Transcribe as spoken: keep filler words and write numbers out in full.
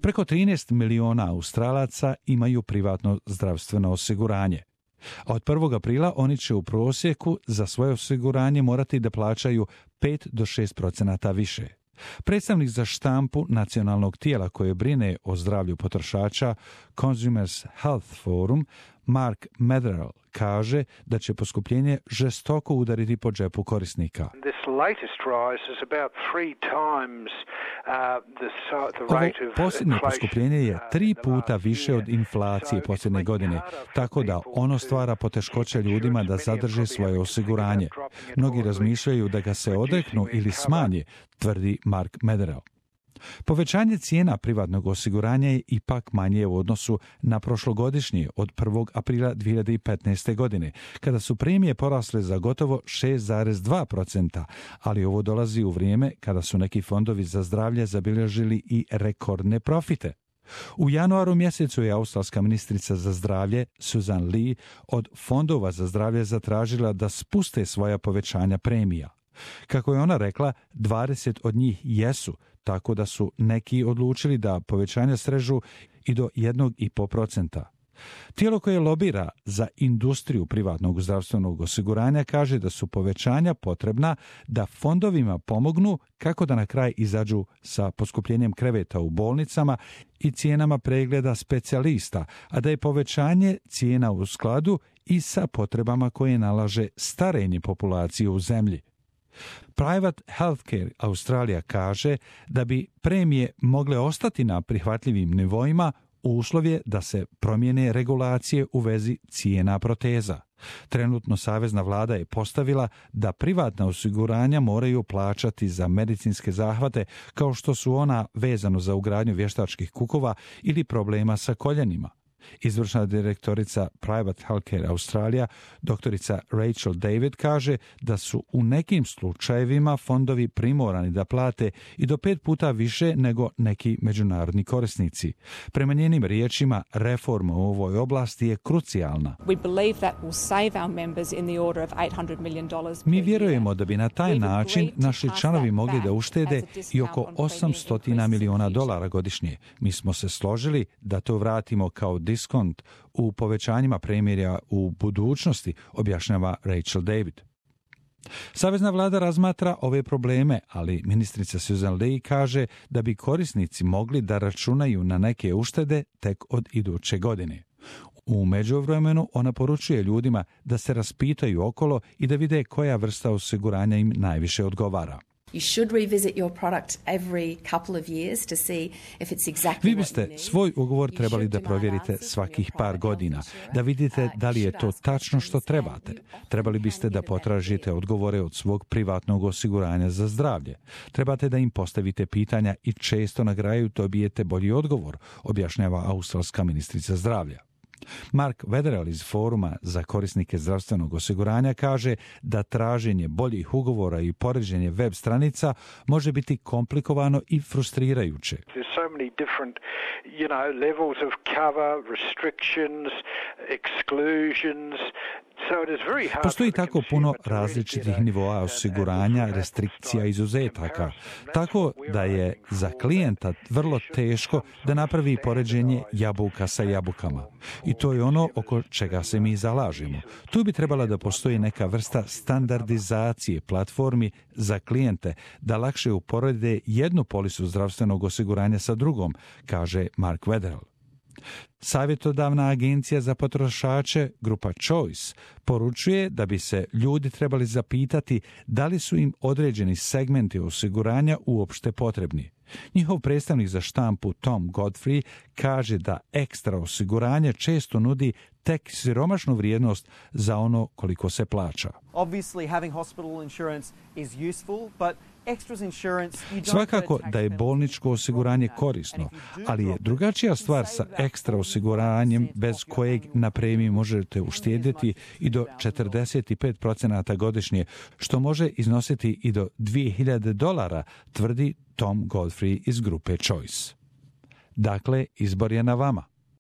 Preko trinaest miliona Australaca imaju privatno zdravstveno osiguranje. A od prvog aprila oni će u prosjeku za svoje osiguranje morati da plaćaju pet do šest procenata više. Predstavnik za štampu nacionalnog tijela koje brine o zdravlju potrošača Consumers Health Forum, Mark Medrall, kaže da će poskupljenje žestoko udariti po džepu korisnika. Ovo posljednje poskupljenje je tri puta više od inflacije posljednje godine, tako da ono stvara poteškoće ljudima da zadrže svoje osiguranje. Mnogi razmišljaju da ga se odreknu ili smanje, tvrdi Mark Medrall. Povećanje cijena privatnog osiguranja je ipak manje u odnosu na prošlogodišnje od prvog aprila dvije hiljade petnaeste. godine, kada su premije porasle za gotovo šest zarez dva procenta, ali ovo dolazi u vrijeme kada su neki fondovi za zdravlje zabilježili i rekordne profite. U januaru mjesecu je australska ministrica za zdravlje Susan Lee od fondova za zdravlje zatražila da spuste svoja povećanja premija. Kako je ona rekla, dvadeset od njih jesu, tako da su neki odlučili da povećanja srežu i do jednog i po procenta. Tijelo koje lobira za industriju privatnog zdravstvenog osiguranja kaže da su povećanja potrebna da fondovima pomognu kako da na kraj izađu sa poskupljenjem kreveta u bolnicama i cijenama pregleda specijalista, a da je povećanje cijena u skladu i sa potrebama koje nalaže starenje populacije u zemlji. Private Healthcare Australia kaže da bi premije mogle ostati na prihvatljivim nivoima, uslov je da se promijene regulacije u vezi cijena proteza. Trenutno savezna vlada je postavila da privatna osiguranja moraju plaćati za medicinske zahvate kao što su ona vezano za ugradnju vještačkih kukova ili problema sa koljenima. Izvršna direktorica Private Healthcare Australia, doktorica Rachel David, kaže da su u nekim slučajevima fondovi primorani da plate i do pet puta više nego neki međunarodni korisnici. Prema njenim riječima, reforma u ovoj oblasti je krucijalna. Mi vjerujemo da bi na taj način naši članovi mogli da uštede i oko osamsto miliona dolara godišnje. Mi smo se složili da to vratimo kao diskont u povećanjima premija u budućnosti, objašnjava Rachel David. Savezna vlada razmatra ove probleme, ali ministrica Susan Lee kaže da bi korisnici mogli da računaju na neke uštede tek od iduće godine. U međuvremenu ona poručuje ljudima da se raspitaju okolo i da vide koja vrsta osiguranja im najviše odgovara. Vi biste svoj ugovor trebali da provjerite svakih par godina, da vidite da li je to tačno što trebate. Trebali biste da potražite odgovore od svog privatnog osiguranja za zdravlje. Trebate da im postavite pitanja i često na kraju dobijete bolji odgovor, objašnjava australska ministrica zdravlja. Mark Wetherell iz Foruma za korisnike zdravstvenog osiguranja kaže da traženje boljih ugovora i poređenje web stranica može biti komplikovano i frustrirajuće. Postoji tako puno različitih nivoa osiguranja, restrikcija, izuzetaka, tako da je za klijenta vrlo teško da napravi poređenje jabuka sa jabukama. I to je ono oko čega se mi zalažemo. Tu bi trebala da postoji neka vrsta standardizacije platformi za klijente da lakše uporede jednu polisu zdravstvenog osiguranja sa drugom, kaže Mark Wetherell. Savjetodavna agencija za potrošače, grupa Choice, poručuje da bi se ljudi trebali zapitati da li su im određeni segmenti osiguranja uopšte potrebni. Njihov predstavnik za štampu Tom Godfrey kaže da ekstra osiguranje često nudi tek siromašnu vrijednost za ono koliko se plaća. Obviously, having hospital insurance is useful, but svakako da je bolničko osiguranje korisno, ali je drugačija stvar sa ekstra osiguranjem bez kojeg na premiji možete uštedjeti i do četrdeset pet procenata godišnje, što može iznositi i do dvije hiljade dolara, tvrdi Tom Godfrey iz grupe Choice. Dakle, izbor je na vama.